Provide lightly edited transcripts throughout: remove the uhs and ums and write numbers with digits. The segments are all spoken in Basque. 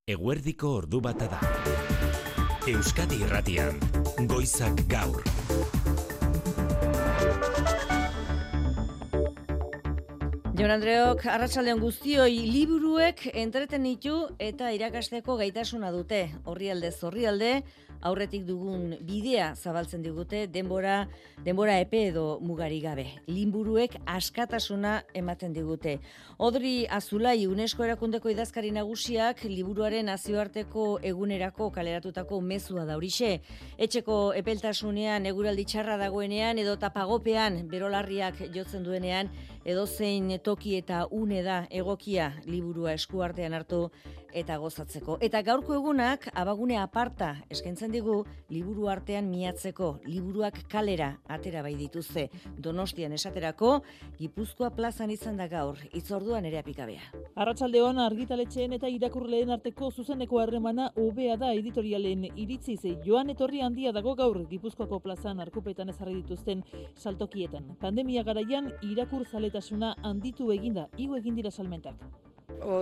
Eguerdiko ordu bata da. Euskadi Irratian, Goizak Gaur. Jon Andreok, arratsaldeon guztioi, liburuek entretenitu eta irakasteko gaitasuna dute. Orrialdez orrialde, aurretik dugun bidea zabaltzen digute denbora epe edo mugari gabe. Liburuek askatasuna ematen digute. Odri Azulai, UNESCO erakundeko idazkari nagusiak liburuaren nazioarteko egunerako kaleratutako mezua da horixe. Etxeko epeltasunean, eguraldi txarra dagoenean edo tapagopean berolarriak jotzen duenean, edozein toki eta une da egokia liburua eskuartean hartu eta gozatzeko. Eta gaurko egunak abagune aparta eskaintzen digu liburu artean miatzeko. Liburuak kalera atera bai dituzte. Donostian esaterako, Gipuzkoa plazan izan da gaur, hitzorduan ere apikabea. Arratsaldeon argitaletxeen eta irakurleen arteko zuzeneko harremana hobea da editorialen iritziz. Joan etorri handia dago gaur Gipuzkoako plazan arkupetan ezarri dituzten saltokietan. Pandemia garaian irakurzaletasuna handitu eginda, igo egin dira salmentak.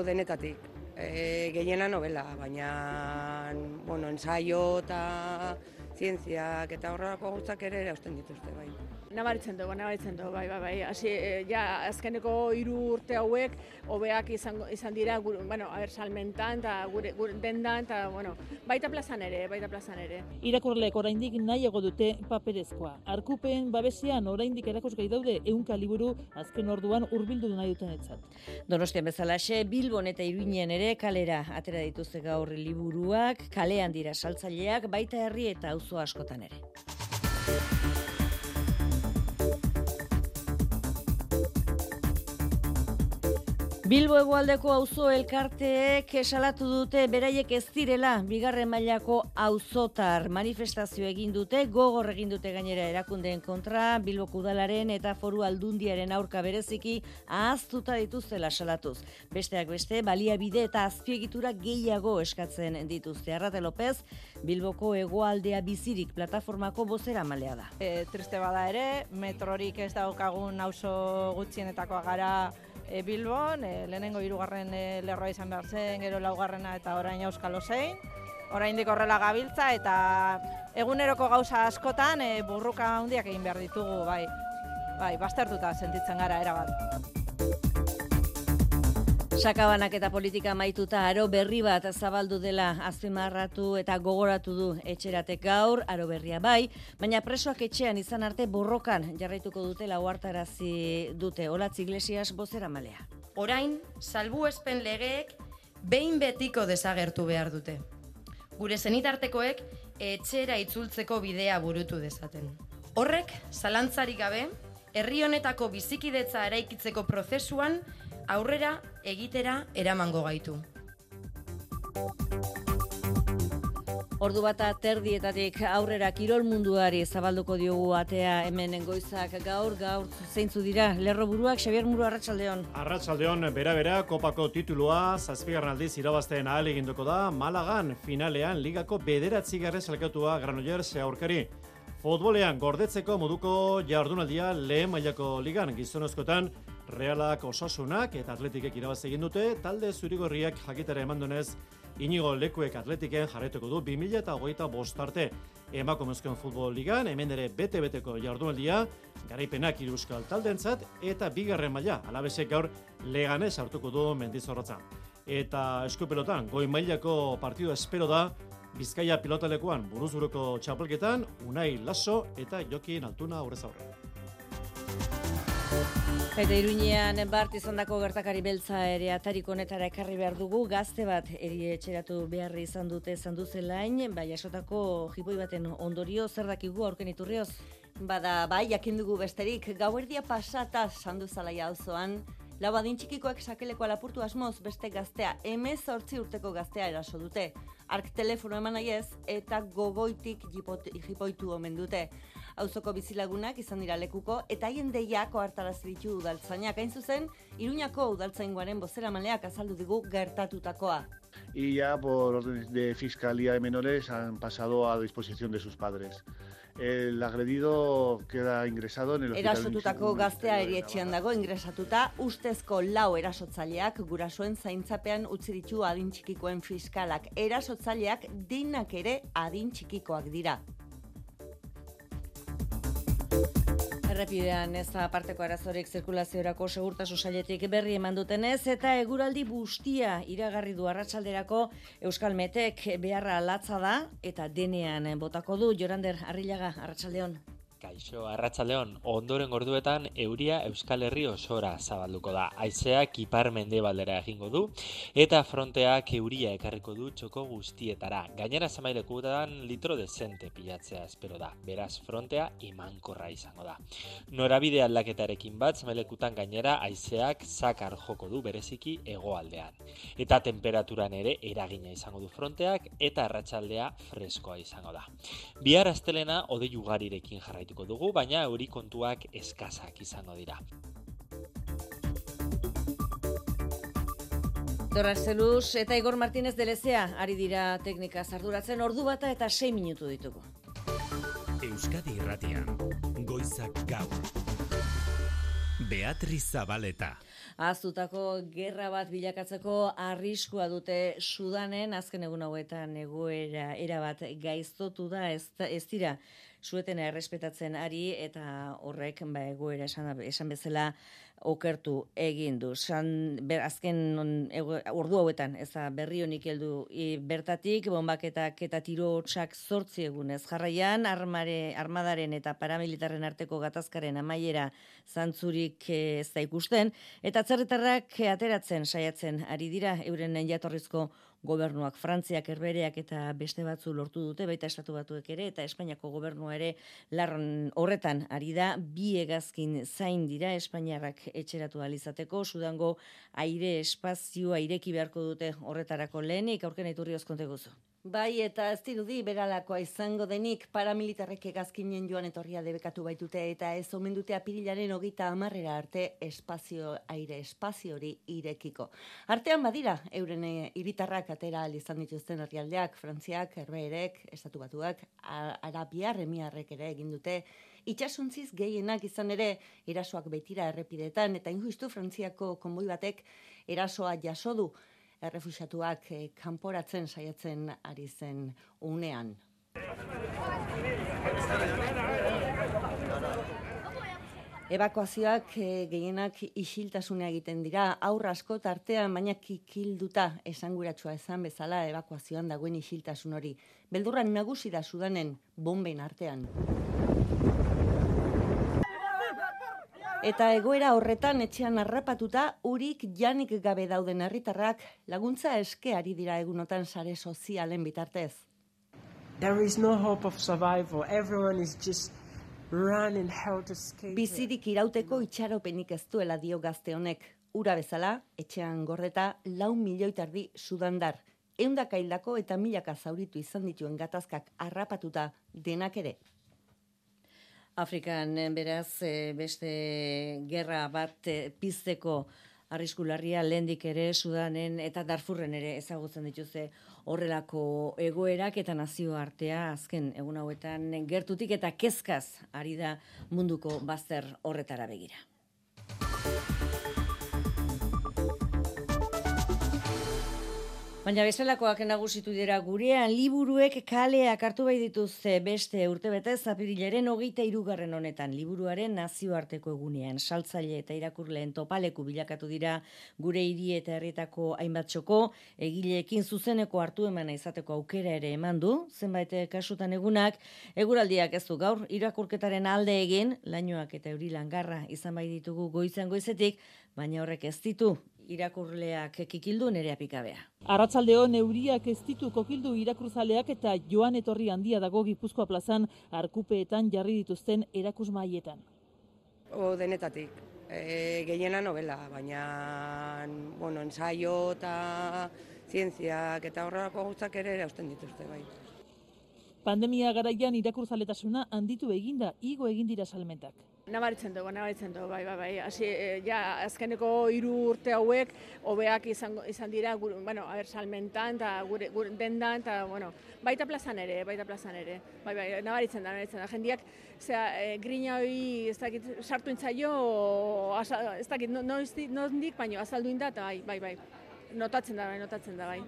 Denetatik. Gehiena novela, baina ensaio eta zientziak eta horrelako gauzak ere hausten dituzte, bai. Nabaritzen du, bai. Azkeneko 3 urte hauek hobeak izan dira, salmentan eta gure dendan eta baita plazan ere. Irakurleek oraindik nahiago dute paperezkoa. Arkupen babesean oraindik erakusgai daude 100 liburu azken orduan hurbildu nahi dutenetzat. Donostian bezalaxe, Bilbon eta Iruinen ere kalera atera dituzte gaur liburuak, kalean dira saltzaileak, baita herri eta auzo askotan ere. Bilbo hegoaldeko auzo elkarteek salatu dute beraiek ez direla bigarren mailako auzotar. Manifestazio egin dute, gogor egin dute gainera erakundeen kontra, Bilboko udalaren eta Foru Aldundiaren aurka bereziki ahaztuta dituztela salatuz. Besteak beste, baliabide eta azpiegitura gehiago eskatzen dituzte. Arrate López, Bilboko hegoaldea bizirik plataformako bozeramalea da. Triste bada ere, metrorik ez daukagun auzo gutxienetakoa gara Bilbon, lehenengo 3. lerroa izan behar zen, gero 4. eta orain Auskalo zein. Oraindik horrela gabiltza eta eguneroko gauza askotan burruka handiak egin behar ditugu, bai, baztertuta sentitzen gara erabat. Sakabanak eta politika maituta aro berri bat zabaldu dela azpimarratu eta gogoratu du etxeratek gaur, aro berria bai, baina presoak etxean izan arte borrokan jarraituko dutela ohartarazi dute. Olatz Iglesias bozeramalea. Orain, salbuespen legeek behin betiko desagertu behar dute. Gure senitartekoek etxera itzultzeko bidea burutu dezaten. Horrek, zalantzarik gabe, herri honetako bizikidetza eraikitzeko prozesuan aurrera egitera eramango gaitu. Ordu bata terdietatik aurrera kirol munduari zabalduko diogu atea hemen Goizak gaur zeintzu dira lerroburuak. Xabier Muro, arratsaldeon. Arratsaldeon, bera kopako titulua 7. aldiz irabazten ahaleginduko da Malagan finalean ligako 9. sailkatua Granollers aurkari. Futbolean gordetzeko moduko jardunaldia lehen mailako ligan gizonezkoetan Realak, Osasunak eta Atletikek irabazi egin dute, talde zurigorriak jakitera eman duenez, Inigo Lekuek Atletiken jarraituko du 2025 arte. Emakumezkoen futbol ligan, hemen ere bete-beteko jardunaldia, garaipenak 3 euskal taldeentzat eta 2. maila, Alabesek gaur Leganés hartuko du Mendizorrotza. Eta eskupelotan, goi mailako partidu espero da, Bizkaia pilotalekuan buruzburuko txapelketan, Unai Lasso eta Jokin Altuna aurrez aurre. Eta Iruñean bart izandako gertakari beltza ere atarik honetara ekarri behar dugu. Gazte bat etxeratu beharri izan dute Sanduzelain, jasotako jipoi baten ondorio, zer dakigu aurken iturrioz? Bai, jakin dugu besterik, gauerdia pasata Sanduzalaia auzoan, lau adin txikikoek sakelekoa lapurtu asmoz beste gaztea, 18 urteko gaztea eraso dute. Ark telefono eman nahi ez eta gogoitik jipoitu omen dute. Auzoko bizilagunak izan dira lekuko eta haien deiako hartarazi ditu udaltzainak. Hain zuzen, Iruñako udaltzaingoaren bozeramaleak azaldu digu gertatutakoa. y ya por orden de Fiscalía de Menores han pasado a disposición de sus padres. El agredido queda ingresado en el hospital. Erasotutako gaztea erietxean dago ingresatuta, ustezko 4 erasotzaileak gurasoen zaintzapean utzi ditu adin txikikoen fiskalak. Erasotzaileak denak ere adin txikikoak dira. Errepidean ez da aparteko arazorik zirkulaziorako segurtasun sailetik berri eman dutenez eta eguraldi bustia iragarri du arratsalderako Euskalmetek beharra latza da eta denean botako du. Jorander Arrillaga, arratsaldeon. Kaixo, arratsaldeon, ondoren orduetan euria Euskal Herri osora zabalduko da. Haizeak ipar-mendebaldera egingo du eta fronteak euria ekarriko du txoko guztietara. Gainera zamailekutan litro dezente pilatzea espero da. Beraz, frontea imankorra izango da. Norabide aldaketarekin bat zamailekutan gainera haizeak zakar joko du bereziki hegoaldean. Eta temperaturan ere eragina izango du fronteak eta arratsaldea freskoa izango da. Bihar astelena hodei ugarirekin jarraitu dugu, baina euri kontuak eskasak izango dira. Dorrazeluz eta Igor Martínez de Lezea ari dira teknika arduratzen, ordu bata eta 6 minutu ditugu. Euskadi Irratian, Goizak Gaur. Beatriz Zabaleta. Ahaztutako gerra bat bilakatzeko arriskua dute Sudanen, azken egun hauetan egoera erabat gaiztotu da, ez dira suetena errespetatzen ari eta horrek egoera esan bezala okertu egin du. Azken ordu hauetan, ez da berri honik heldu bertatik, bonbaketak eta tirotsak 8 egunez jarraian, armadaren eta paramilitarren arteko gatazkaren amaiera zantzurik ez da ikusten, eta atzerritarrak ateratzen saiatzen ari dira euren jatorrizko gobernuak. Frantziak, Herbehereak eta beste batzu lortu dute, baita Estatu Batuek ere, eta Espainiako gobernua ere larron horretan ari da. 2 hegazkin zain dira Espainiarrak etxeratu ahal izateko. Sudango aire espazioa ireki beharko dute horretarako lehenik, aurken Iturri oskonte guzu. Bai, eta ez dirudi beralakoa izango denik, paramilitarrek hegazkinen joan etorria debekatu baitute eta ez omen dute apirilaren 30 arte aire espazio hori irekiko. Artean badira, euren hiritarrak atera ahal izan dituzten herrialdeak, Frantziak, Herbeherek, Estatu Batuak, Arabiar Emiarrek ere egin dute. Itxasuntziz gehienak izan ere erasoak baitira errepidetan eta injustu Frantziako konboi batek erasoa jaso du. Errefuxiatuak kanporatzen saiatzen ari zen unean. Ebakuazioak gehienak isiltasuna egiten dira, aurra asko tartean, baina kikilduta esanguratsua esan bezala ebakuazioan dagoen isiltasun hori. Beldurran nagusi da Sudanen bomben artean. Eta egoera horretan etxean harrapatuta urik janik gabe dauden herritarrak laguntza eske ari dira egunotan sare sozialen bitartez. There is no hope of survival. Everyone is just running how to escape. Bizirik irauteko itxaropenik ez duela dio gazte honek. Ura bezala, etxean gordeta 4,5 milioi sudandar. 100 hildako eta 1000 zauritu izan dituen gatazkak harrapatuta denak ere. Afrikan beraz beste gerra bat pizteko arriskularria lehendik ere Sudanen eta Darfurren ere ezagutzen dituzte horrelako egoerak eta nazioartea azken egun hauetan gertutik eta kezkaz ari da munduko bazter horretara begira. Baina bezalakoak nagusitu dira gurean, liburuek kaleak hartu bai dituzte beste urtebetez apirilaren 23. honetan liburuaren nazioarteko egunean. Saltzaile eta irakurleen topaleku bilakatu dira gure hiri eta herrietako hainbat txoko, egileekin zuzeneko hartu emana izateko aukera ere eman du, zenbait kasutan egunak, eguraldiak ez du gaur irakurketaren alde egin, lainoak eta euri langarra izan bai ditugu goizean goizetik, baina horrek ez ditu irakurleak kikildu Nerea Pikabea. Arratsaldeon euriak ez ditu kokildu irakurzaleak eta joan etorri handia dago Gipuzkoa plazan arkupeetan jarri dituzten erakusmaietan. Denetatik, gehiena novela, baina ensaio eta zientziak eta horrelako gauzak ere erausten dituzte bai. Pandemia garaian irakurzaletasuna handitu eginda, igo egin dira salmentak. Nabaritzen dugu, bai. Hasi, ja, azkeneko 3 urte hauek, hobeak izan dira, salmentan, eta gure dendan, eta, baita plazan ere. Bai, nabaritzen da. Jendiak, grina hori, ez dakit, sartu intzaio, ez dakit, nondik, baina azaldu inda, eta bai. Notatzen da, bai.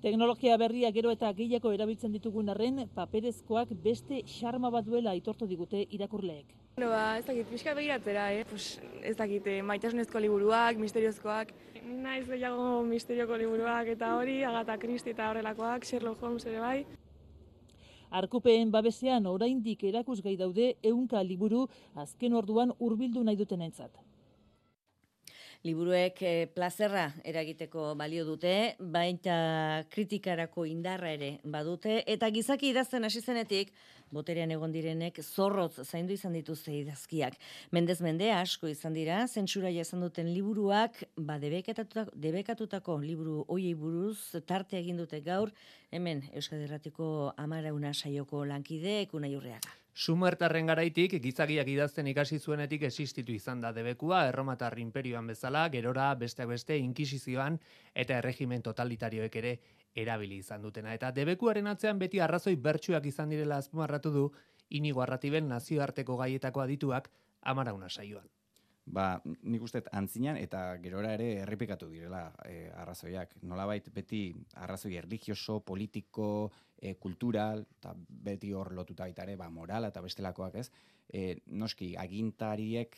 Teknologia berria gero eta gehiago erabiltzen ditugun arren, paperezkoak beste xarma bat duela aitortu digute irakurleek. Ez dakit, pixka begiratzera, ez dakit, maitasunezko liburuak, misteriozkoak. Naiz gehiago misterioko liburuak eta hori, Agatha Christie eta horrelakoak, Sherlock Holmes ere bai. Arkupeen babesean oraindik erakusgai daude 100 liburu azken orduan hurbildu nahi dutenentzat. Liburuek plazerra eragiteko balio dute, baita kritikarako indarra ere badute, eta gizaki idazten hasi zenetik, boterean egon direnek zorrotz zaindu izan dituzte idazkiak. Mendez mende asko izan dira, zentsura jasan duten liburuak, debekatutako liburu hoiei buruz tarte egin dute gaur, hemen Euskadi Irratiko Amarauna saioko lankideek Unai Urreaga. Sumertarren garaitik, gizakiak idazten ikasi zuenetik existitu izan da debekua, Erromatar inperioan bezala, gerora besteak beste inkisizioan eta erregimen totalitarioek ere erabili izan dutena. Eta debekuaren atzean beti arrazoi bertsuak izan direla azpimarratu du Inigo Arratiben nazioarteko gaietako adituak Amarauna saioan. Nik uste antzinan eta gerora ere errepikatu direla arrazoiak. Nolabait beti arrazoi erlijioso, politiko, kultural, eta beti hor lotuta baita ere, morala eta bestelakoak ez. Noski, agintariek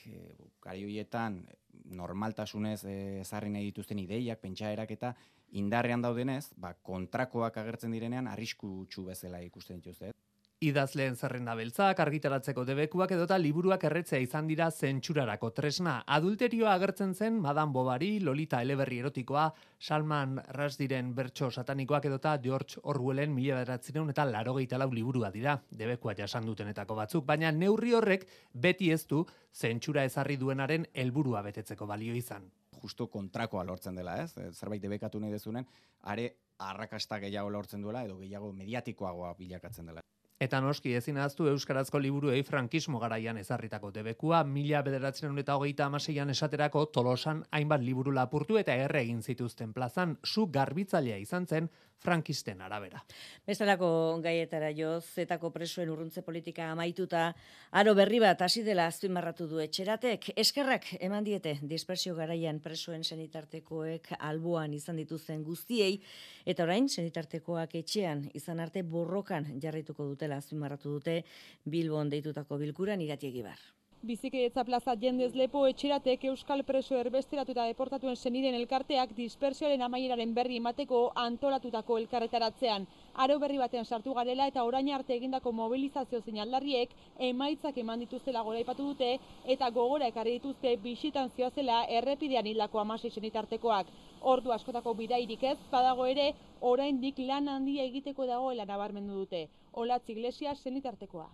garaioietan normaltasunez ezarri nahi dituzten ideiak, pentsaerak eta indarrean daudenez, kontrakoak agertzen direnean arriskutsu bezala ikusten dituzte. Idazleen zerrenda beltzak, argitaratzeko debekuak edota liburuak erretzea izan dira zentsurarako tresna. Adulterioa agertzen zen Madame Bovary, Lolita eleberri erotikoa, Salman Rushdien bertso satanikoak edota George Orwellen 1984 liburua dira, debekua jasan dutenetako batzuk, baina neurri horrek beti ez du zentsura ezarri duenaren helburua betetzeko balio izan. Justo kontrakoa lortzen dela, ez? Zerbait debekatu nahi dezunen, are arrakasta gehiago lortzen duela edo gehiago mediatikoagoa bilakatzen dela. Eta noski ezin ahaztu euskarazko liburuei frankismo garaian ezarritako debekua, 1926an esaterako Tolosan hainbat liburu lapurtu eta erre egin zituzten plazan, su garbitzailea izan zen frankisten arabera. Bestelako gaietara joz, zetako presoen urruntze politika amaituta, aro berri bat hasi dela azpimarratu du Etxeratek. Eskerrak eman diete dispersio garaian presoen senitartekoek alboan izan dituzten guztiei, eta orain senitartekoak etxean izan arte borrokan jarrituko dutela azpimarratu dute Bilbon deitutako bilkuran Irati Egibar. Bizikidetza plaza jendez lepo Etxeratek euskal preso erbesteratu eta deportatuen seniden elkarteak dispersioaren amaieraren berri emateko antolatutako elkarretaratzean. Aro berri batean sartu garela eta orain arte egindako mobilizazio zeinaldarriek emaitzak eman dituztela goraipatu dute eta gogora ekarri dituzte bisitan zioazela errepidean hildako 16 senitartekoak. Ordu askotako bidairik ez, badago ere, oraindik lan handia egiteko dagoela nabarmendu dute. Olatz Iglesias senitartekoa.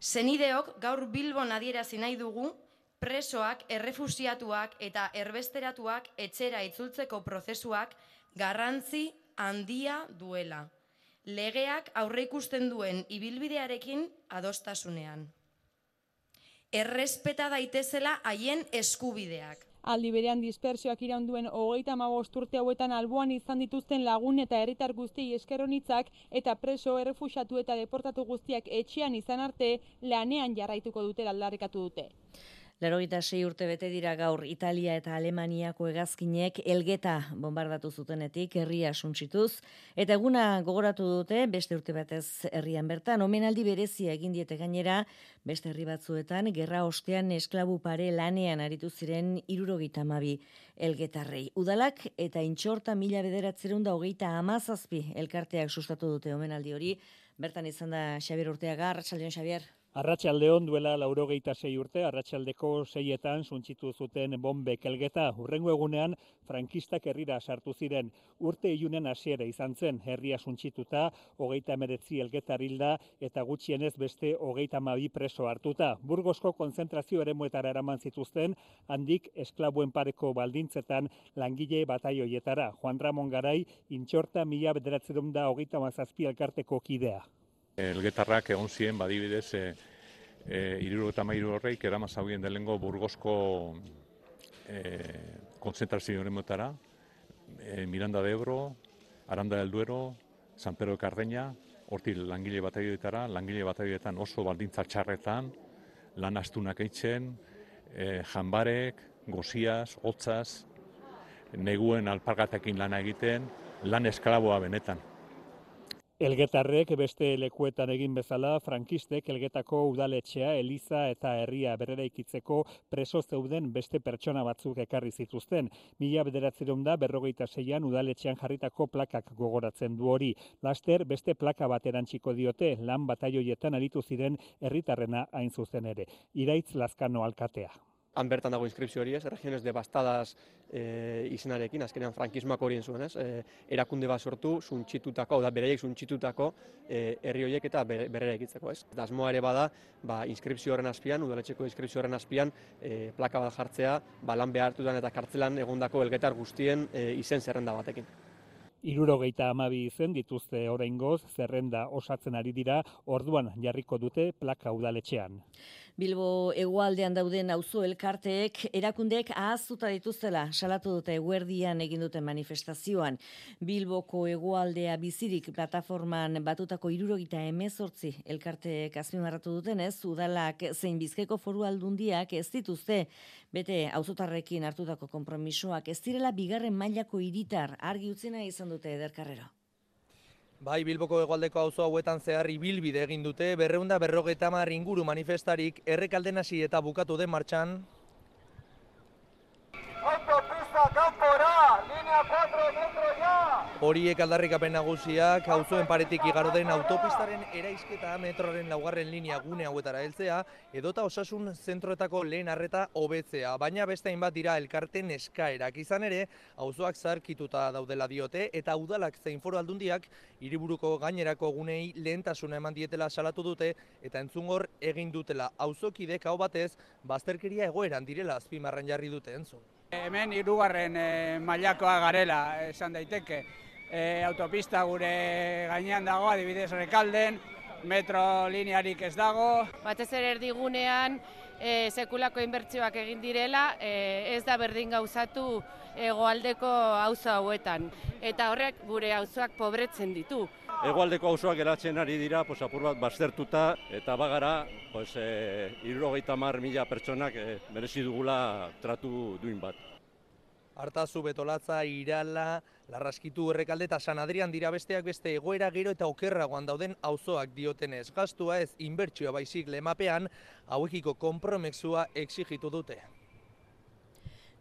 Senideok gaur Bilbon adierazi nahi dugu presoak, errefusiatuak eta erbesteratuak etxera itzultzeko prozesuak garrantzi handia duela. Legeak aurreikusten duen ibilbidearekin adostasunean. Errespeta daitezela haien eskubideak. Aldi berean dispersioak iraunduen 35 urte hauetan alboan izan dituzten lagun eta herritar guztiei esker onitzak eta preso, errefuxiatu eta deportatu guztiak etxean izan arte lanean jarraituko dutela aldarrikatu dute. 86 urte bete dira gaur Italia eta Alemaniako hegazkinek Elgeta bombardatu zutenetik herria suntsituz, eta eguna gogoratu dute beste urte batez herrian bertan, omenaldi berezia egin diete gainera, beste herri batzuetan gerra ostean esklabu pare lanean aritu ziren 72 elgetarrei. Udalak eta Intxorta 1927 elkarteak sustatu dute omenaldi hori, bertan izan da Xabier Urteaga. Arratsaldeon, Xabier. Arratsaldeon duela 86 urte, arratsaldeko 6etan suntsitu zuten bombek Elgeta. Hurrengo egunean frankistak herrira sartu ziren. Urte ilunen hasiera izan zen, herria suntsituta, 39 elgetar hilda eta gutxienez beste 32 preso hartuta. Burgosko konzentrazio eremuetara eraman zituzten, handik esklabuen pareko baldintzetan langile bataioietara. Juan Ramon Garai, Intxorta 1927 elkarteko kidea. Elgetarrak egon ziren badibidez 73 horreik eramazauen delengo Burgosko konzentrazio horretara, Miranda de Ebro, Aranda del Duero, San Pedro de Cardeña, hortik langile batalioetara oso baldintza txarretan, lan astunak eitzen, janbarek, goziaz, hotzaz, neguen alpargatekin lana egiten, lan esklaboa benetan. Elgetarrek beste lekuetan egin bezala, frankistek Elgetako udaletxea, eliza eta herria berreraikitzeko preso zeuden beste pertsona batzuk ekarri zituzten. 1956an udaletxean jarritako plakak gogoratzen du hori. Laster beste plaka bat erantsiko diote, lan bataioietan aritu ziren herritarrena hain zuzen ere. Iraitz Lazkano alkatea. Han bertan dago inskripzio hori, regiones devastadas izenarekin, azkenean frankismoak horien zuen, erakunde bat sortu, suntxitutako, beraiek suntxitutako herri horiek eta berreraikitzeko, ez. Asmoa ere bada, inskripzio horren azpian, udaletxeko inskripzio horren azpian, plaka bat jartzea, lan behartutan eta kartzelan egondako elgetar guztien izen zerrenda batekin. 72 izen dituzte oraingoz, zerrenda osatzen ari dira, orduan jarriko dute plaka udaletxean. Bilbo hegoaldean dauden auzo elkarteek erakundeek ahaztuta dituztela salatu dute eguerdian egin duten manifestazioan. Bilboko hegoaldea bizirik plataforman batutako 78 elkarteek azpimarratu dutenez, udalak zein Bizkaiko Foru Aldundiak ez dituzte bete auzotarrekin hartutako konpromisoak ez direla bigarren mailako hiritar argi utzina izan dute Eder Carrero. Bai, Bilboko hegoaldeko auzo hauetan zehar ibilbide egin dute, 250 inguru manifestarik Errekalden hasi eta bukatu den martxan. Autopista kanpora, linea 4 metro ya! Horiek aldarrikapen nagusiak, auzoen paretik igaro den autopistaren eraisketa metroaren 4. linea gune hauetara heltzea, edota osasun zentroetako lehen arreta hobetzea, baina beste hainbat dira elkarten eskaerak izan ere, auzoak zaharkituta daudela diote, eta udalak zein Foru Aldundiak hiriburuko gainerako gunei lehentasuna eman dietela salatu dute, eta entzungor egin dutela auzokidek hau batez, bazterkeria egoeran direla azpimarran jarri dute entzun. Hemen 3. mailakoa garela, esan daiteke. Autopista gure gainean dago, adibidez Rekalden, metro linearik ez dago. Batez ere erdigunean sekulako inbertsioak egin direla, ez da berdin gauzatu hegoaldeko auzo hauetan. Eta horrek gure auzoak pobretzen ditu. Hegoaldeko auzoak geratzen ari dira, apur bat baztertuta, eta bagara 70.000 pertsonak merezi dugula tratu duin bat. Artazu, Betolatza, Irala, Larraskitu, Errekalde eta San Adrian dira besteak beste egoera gero eta okerragoan dauden auzoak diotenez. Gastua ez inbertsioa baizik lemapean, hauekiko konpromezua exigitu dute.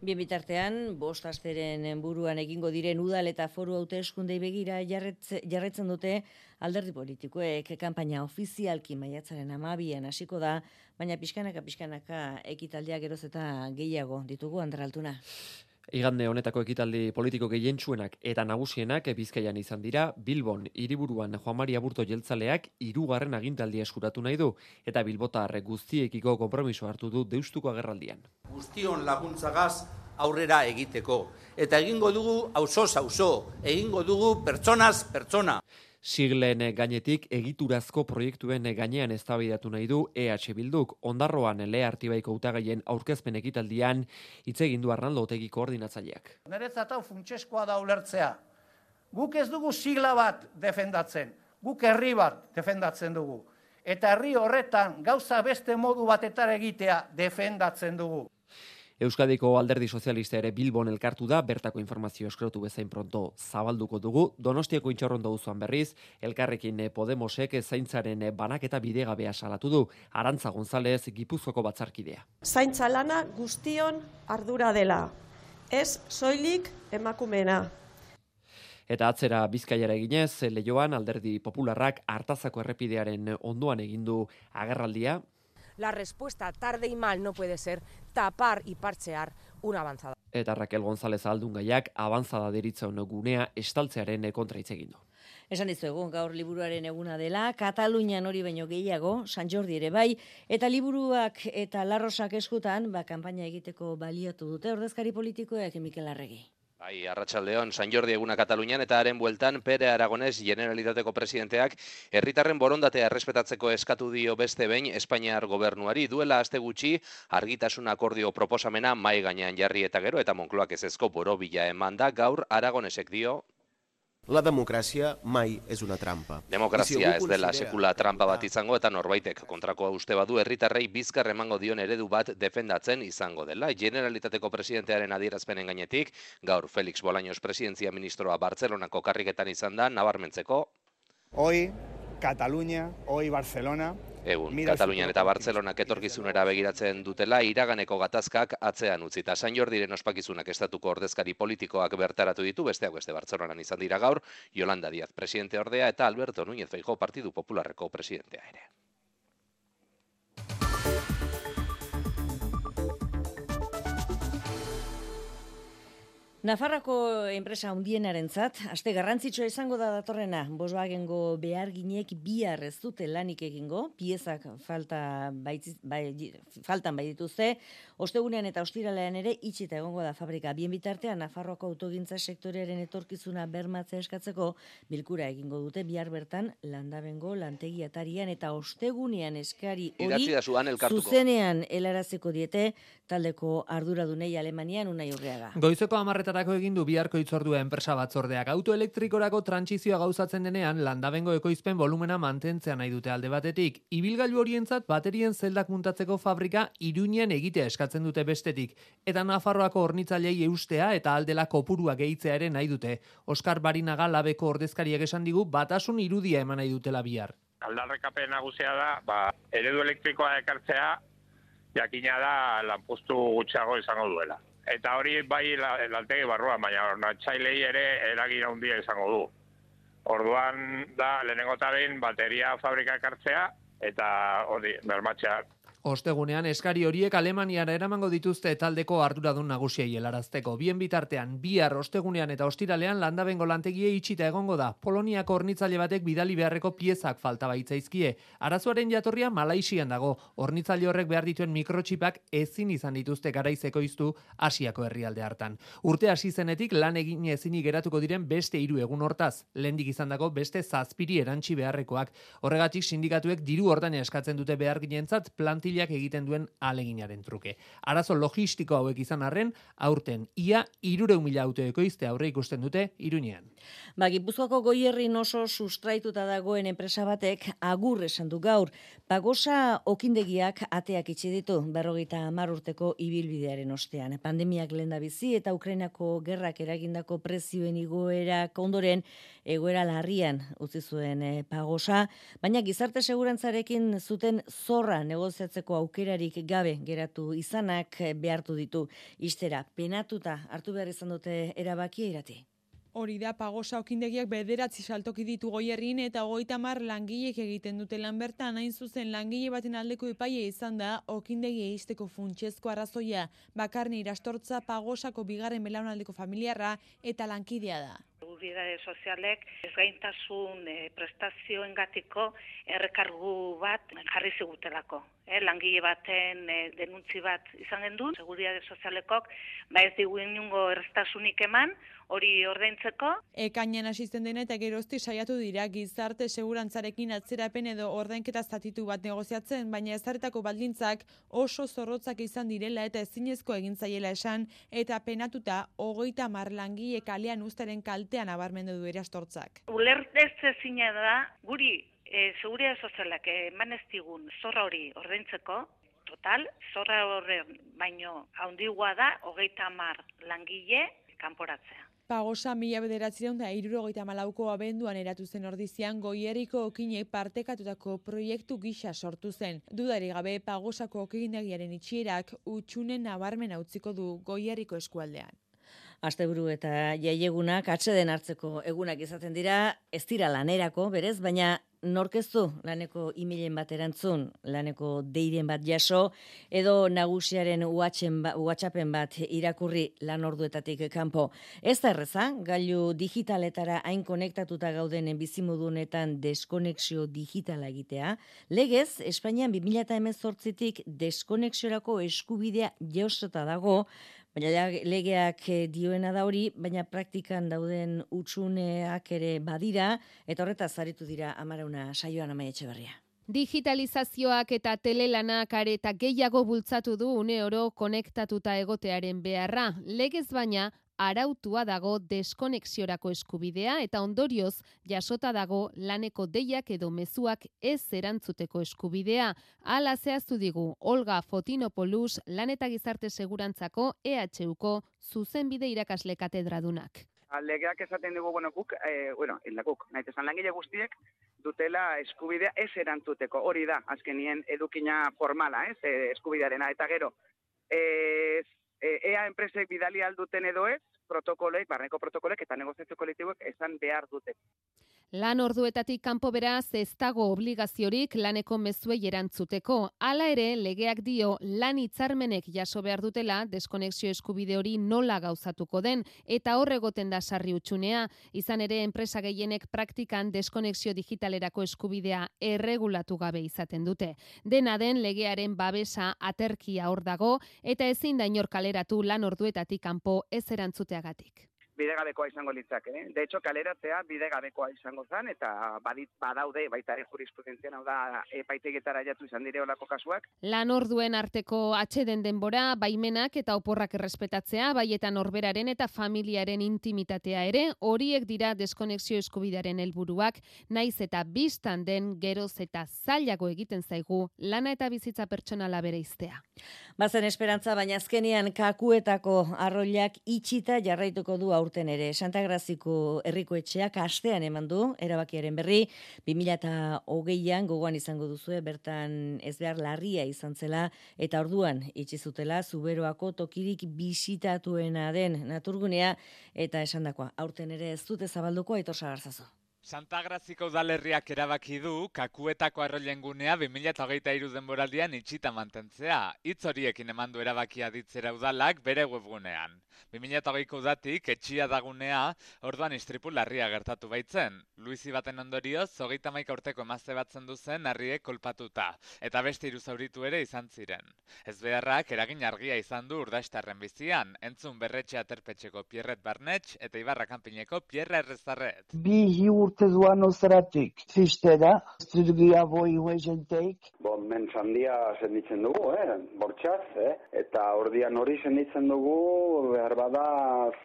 Bien bitartean, 5 asteren buruan egingo diren udal eta foru hauteskundei begira jarraitzen dute alderdi politikoek kanpaina ofizialki maiatzaren 12an hasiko da, baina pixkanaka ekitaldiak geroz eta gehiago ditugu, Ander Altuna. Igande honetako ekitaldi politiko gehientsuenak eta nagusienak Bizkaian izan dira. Bilbon hiriburuan Juan Mari Aburto jeltzaleak 3. agintaldia eskuratu nahi du eta bilbotar guztiekiko konpromiso hartu du Deustuko agerraldian. Guztion laguntzagaz aurrera egiteko eta egingo dugu auzoz auzo, egingo dugu pertsonaz pertsona. Siglen gainetik egiturazko proiektuen gainean eztabaidatu nahi du EH Bilduk. Ondarroan Lea Artibaiko hautagaien aurkezpen ekitaldian hitz egin du Arnaldo Otegi koordinatzaileak. Niretzat hau funtsezkoa da ulertzea. Guk ez dugu sigla bat defendatzen, guk herri bat defendatzen dugu. Eta herri horretan gauza beste modu batetara egitea defendatzen dugu. Euskadiko Alderdi Sozialista ere Bilbon elkartu da, bertako informazio eskratu bezain pronto zabalduko dugu. Donostiako Intxorrondo auzoan berriz, elkarrekin Podemosek zaintzaren banaketa bidegabea salatu du. Arantza González, Gipuzkoako batzarkidea. Zaintza lana guztion ardura dela, ez soilik emakumeena. Eta atzera Bizkaiara eginez, Leioan Alderdi Popularrak Artazako errepidearen ondoan egindu agerraldia. La respuesta tarde y mal no puede ser tapar y parchear una avanzada. Eta Raquel González Aldungaiak avanzada deritzen gunea estaltzearen kontra hitz egin du. Esan dizuegu, gaur liburuaren eguna dela, Katalunian hori baino gehiago, San Jordi ere bai, eta liburuak eta larrosak eskutan, kanpaina egiteko baliatu dute ordezkari politikoek Mikel Arregi. Bai, arratsaldeon, San Jordi eguna Katalunian eta haren bueltan Pere Aragones Generalitateko presidenteak herritarren borondatea errespetatzeko eskatu dio beste behin Espainiar gobernuari. Duela aste gutxi argitasun akordio proposamena mahai gainean jarri eta gero eta Moncloak ezezko borobila emanda, gaur Aragonesek dio: La democràcia mai és una trampa. Demokrazia ez dela sekula trampa bat izango eta norbaitek kontrakoa uste badu herritarrei bizkar emango dion eredu bat defendatzen izango dela. Generalitateko presidentearen adierazpenen gainetik, gaur Felix Bolaños presidentzia ministroa Bartzelonako karriketan izan da, nabarmentzeko. Hoy Cataluña, hoy Barcelona. Egun, Katalunian eta Bartzelonak etorkizunera begiratzen dutela iraganeko gatazkak atzean utzita. San Jordiren ospakizunak estatuko ordezkari politikoak bertaratu ditu, besteak beste Bartzelonan izan dira gaur, Yolanda Díaz presidente ordea eta Alberto Núñez Feijóo Partidu Popularreko presidentea ere. Nafarroako enpresa handienarentzat, aste garrantzitsua izango da datorrena. Volkswagengo beharginek bihar ez dute lanik egingo, piezak faltan bai dituzte, ostegunean eta ostiralean ere itxita egongo da fabrika. Bien bitartean, Nafarroako autogintza sektorearen etorkizuna bermatzea eskatzeko bilkura egingo dute bihar bertan Landabengo lantegi atarian eta ostegunean eskari hori zuzenean helaraziko diete taldeko arduradunei Alemanian Unai Urreaga. Goizeko 10:00 egin du biharko hitzordua enpresa batzordeak. Autoelektrikorako trantsizioa gauzatzen denean, Landabengo ekoizpen volumena mantentzea nahi dute alde batetik. Ibilgailu horientzat baterien zeldak muntatzeko fabrika Iruñean egitea eskatzen dute bestetik. Eta Nafarroako hornitzailei eustea eta aldela kopurua gehitzea ere nahi dute. Oskar Barinaga Labeko ordezkariak esan digu batasun irudia eman nahi dutela bihar. Aldarrikapen nagusia da, eredu elektrikoa ekartzea, jakina da lanpostu gutxiago izango duela. Eta hori bai lantegi barruan, baina hornatzailei ere eragin handia izango du. Orduan da lehenengo eta behin bateria fabrika ekartzea eta hori bermatzea. Ostegunean eskari horiek Alemaniara eramango dituzte taldeko arduradun nagusiei helarazteko. Bien bitartean, bihar ostegunean eta ostiralean Landabengo lantegie itxita egongo da. Poloniako hornitzaile batek bidali beharreko piezak falta baitzaizkie. Arazoaren jatorria Malaisian dago. Hornitzaile horrek behar dituen mikrotxipak ezin izan dituzte garaiz ekoiztu Asiako herrialde hartan. Urte hasi zenetik lan egin ezinik geratuko diren beste 3 egun hortaz. Lehendik izandako beste 7 erantsi beharrekoak. Horregatik sindikatuek diru ordaina eskatzen dute beharginentzat plantilak egiten duen aleginaren truke. Arazo logistiko hauek izan arren, aurten ia 300.000 auto ekoizte aurre ikusten dute Iruñean. Gipuzkoako Goierrin oso sustraituta dagoen enpresa batek agur esan du gaur. Pagosa okindegiak ateak itxi ditu 50 urteko ibilbidearen ostean. Pandemiak lehendabizi eta Ukrainako gerrak eragindako prezioen igoerak ondoren egoera larrian utzi zuen Pagosa, baina gizarte segurantzarekin zuten zorra negoziatzeko aukerarik gabe geratu izanak behartu ditu ixtera. Penatuta hartu behar izan dute erabakia Irati. Hori da, Pagosa okindegiak 9 saltoki ditu Goierrin eta 30 langilek egiten dute lan bertan. Hain zuzen langile baten aldeko epaia izan da okindegia ixteko funtsezko arrazoia. Bakarni irastortza Pagosako bigarren belaunaldeko familiarra eta lankidea da. Seguridade sozialek ezgaintasun prestazioengatiko errekargu bat jarri zigutelako. Langile baten denuntzi bat izan gendun, Seguridade sozialekok ez digu inungo errestasunik eman, hori ordaintzeko. Ekainan asisten dena eta gerozti saiatu dira gizarte segurantzarekin atzerapen edo ordainketa zatitu bat negoziatzen, baina ezarritako baldintzak oso zorrotzak izan direla eta ezinezko egin zaiela esan, eta penatuta 30 langile kalean uztaren kaltean nabarmendu du irastortzak. Ulertezina da guri Seguridade sozialak eman ez digun zorra hori ordaintzeko, total, zorra horren baino handigoa da 30 langile kanporatzea. Pagosa 1974ko abenduan eratu zen ordizian Goierriko okinek partekatutako proiektu gisa sortu zen. Dudarik gabe Pagosako okindegiaren itxierak utxunen nabarmena utziko du Goierriko eskualdean. Asteburu eta jaiegunak atseden hartzeko egunak izaten dira, ez dira lanerako, berez, baina norkeztu laneko emailen bat erantzun, laneko deiren bat jaso, edo nagusiaren WhatsAppen bat irakurri lan orduetatik kanpo. Ez da erreza, gailu digitaletara hain konektatuta gauden bizimodunetan deskonexio digitala egitea. Legez, Espainian 2018tik deskonexiorako eskubidea jasota dago, Baina legeak dioena da hori, baina praktikan dauden utsuneak ere badira, eta horretaz aritu dira Amarauna saioan Amaia Etxeberria. Digitalizazioak eta telelanak areta gehiago bultzatu du une oro konektatuta egotearen beharra. Legez baina, arautua dago deskonexiorako eskubidea eta ondorioz jasota dago laneko deiak edo mezuak ez erantzuteko eskubidea. Hala zehaztu digu Olga Fotinopoulos lan eta gizarte segurantzako EHUko zuzenbide irakasle katedradunak. Legeak esaten dugu, guk, nahi esan langile guztiek dutela eskubidea ez erantzuteko. Hori da, azkenien edukina formala, eskubidearena. Eta gero, ea enpresek bidali alduten edo ez, barneko protokolek eta negoziazio kolektiboek esan behar dute. Lan orduetatik kanpo beraz ez dago obligaziorik laneko mezuei erantzuteko. Hala ere, legeak dio lan hitzarmenek jaso behar dutela deskonexio eskubide hori nola gauzatuko den eta hor egoten da sarri utxunea. Izan ere, enpresa gehienek praktikan deskonexio digitalerako eskubidea erregulatu gabe izaten dute. Dena den legearen babesa aterkia hor dago eta ezin da inor kaleratu lan orduetatik kanpo ez erantzuteagatik. Bidegabekoa izango litzake. De hecho, kaleratzea bidegabekoa izango zen, eta badaude, baita ere jurisprudentzian, hau da, epaitegietara jatu izan dire olako kasuak. Lan orduen arteko atxeden denbora, baimenak eta oporrak errespetatzea, baita norberaren eta familiaren intimitatea ere, horiek dira deskonexio eskubidearen helburuak, naiz eta bistan den geroz eta zailago egiten zaigu lana eta bizitza pertsonala bereiztea. Bazen esperantza, baina azkenean kakuetako arroilak itxita jarraituko du aurten ere. Santa Graziko herriko etxeak astean eman du, erabakiaren berri, 2020an gogoan izango duzue, bertan ez behar larria izan zela, eta orduan itxi zutela Zuberoako tokirik bisitatuena den naturgunea, eta esandakoa, aurten ere ez dute zabalduko, Aitor Sagarzazu. Santa Graziko udalerriak erabaki du kakuetako arroilen gunea 2023 denboraldian itxita mantentzea. Hitz horiekin eman du erabakia ditzera udalak bere webgunean. 2020ko udatik etxia dagunea, orduan istripu larria gertatu baitzen. Luizi baten ondorioz, 31 urteko emazte batzen duzen harriek kolpatuta, eta beste 3 zauritu ere izan ziren. Ezbeharrak eragin argia izan du Urdaixtarren bizian, entzun Berretxe Aterpetxeko Pierret Barnetx eta Ibarra Kanpineko Pierre Errezarret. Bi urte duan ozeratik, tristera, zirgia boi huezenteik. Mentz handia senditzen dugu, bortxaz, eta ordian hori senditzen dugu, behar bada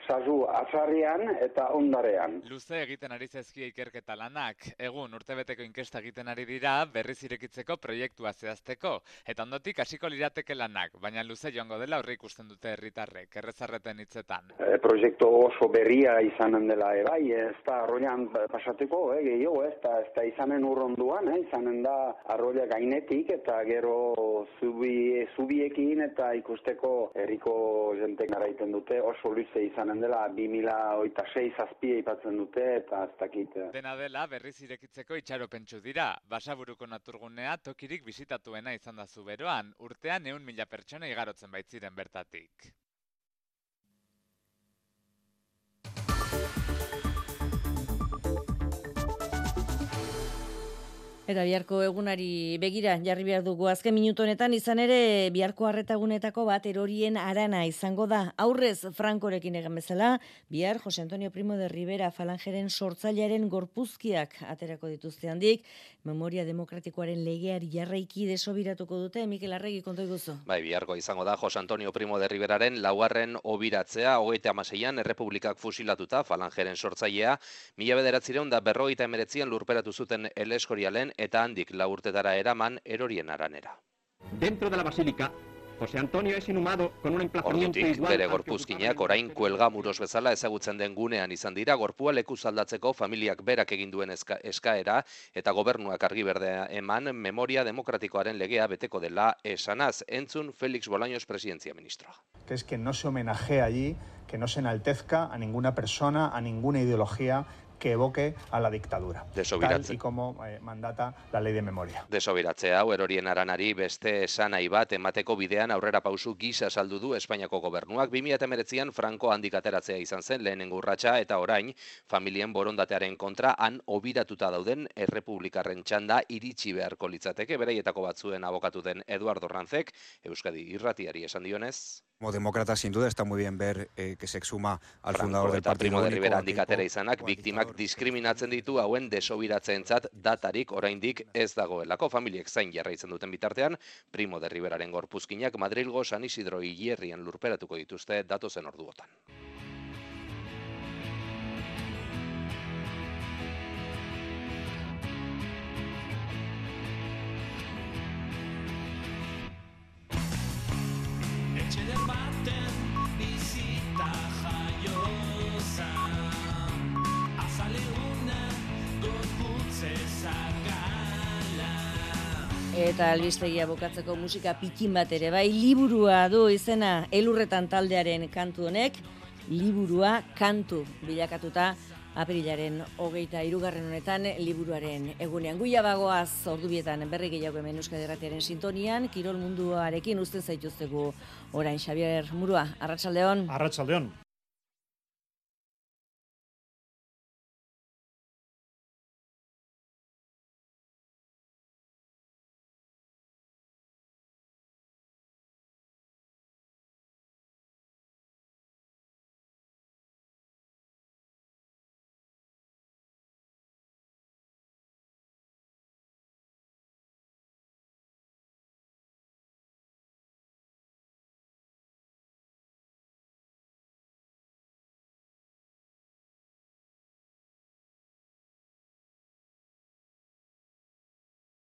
sasu atzarrian eta ondarean. Luze egiten ari zaizkie ikerketa lanak, egun urtebeteko inkesta egiten ari dira berriz irekitzeko proiektua zehazteko, eta ondotik hasiko lirateke lanak, baina luze joango dela horri ikusten dute herritarrek, Errezarreten hitzetan. Proiektu oso berria izanen dela, bai, ez da arroian pasateko, gehiago, ez da izanen urronduan, izanen da arroia gainetik, eta gero zubiekin eta ikusteko herriko jentek naraiten dute, oso luze izanen dela 2026 azpia ipatzen dute eta ez dakit. Dena dela berriz irekitzeko itxaropentsu dira. Basaburuko naturgunea tokirik bisitatuena izan da Zuberoan, urtean 100.000 pertsona igarotzen baitziren bertatik. Eta biharko egunari begira jarri behar dugu azken minutu honetan, izan ere biharko arretagunetako bat erorien arana izango da. Aurrez Frankorekin egan bezala, bihar Jose Antonio Primo de Rivera falangeren sortzailearen gorpuzkiak aterako dituzte handik, memoria demokratikoaren legeari jarraiki desobiratuko dute, Mikel Arregi konto iguzu. Bai, biharko izango da Jose Antonio Primo de Riveraren laugarren obiratzea, 36an errepublikak fusilatuta falangeren sortzailea, 1949an lurperatu zuten El Escorialen eta handik 4 urtetara eraman erorien aranera. Dentro de la basílica, José Antonio es inhumado con un emplazamiento igual. Bere gorpuzkinak orain kuelgamuros bezala ezagutzen den gunean izan dira, gorpua lekuz aldatzeko familiak berak egin duen eskaera eta gobernuak argi berdea eman memoria demokratikoaren legea beteko dela esanaz, entzun Félix Bolaños presidentzia ministroa. Que es que no se homenajea allí, que no se enaltezca a ninguna persona, a ninguna ideología que evoque a la dictadura, tal y como mandata la ley de memoria. Desobiratzea hau erorien aranari beste esanai bat emateko bidean aurrera pausu gisa saldu du Espainiako gobernuak. 2019an Franco handik ateratzea izan zen lehenengo urratsa eta orain familien borondatearen kontra han obiratuta dauden errepublikarren txanda iritsi beharko litzateke. Beraietako batzuen abokatu den Eduardo Ranzek Euskadi Irratiari esan dionez. Como demócrata, sin duda, está muy bien ver que se exhuma al fundador del Partido Primo de Único. Rivera handikatera izanak, biktimak diskriminatzen ditu hauen desobiratzeentzat datarik oraindik ez dagoelako. Familiek zain jarraitzen duten bitartean, Primo de Riveraren gorpuzkinak Madrilgo San Isidro hilerrian lurperatuko dituzte datozen orduotan. Eta albistegia bukatzeko musika pikin bat ere, bai, liburua du izena Elurretan taldearen kantu honek, liburua kantu bilakatuta apirilaren 23. honetan liburuaren egunean. Guia bagoaz ordubietan berri gehiago hemen Euskadi Irratiaren sintonian, kirol munduarekin uzten zaituztegu orain Xabier Murua. Arratsaldeon. Arratsaldeon.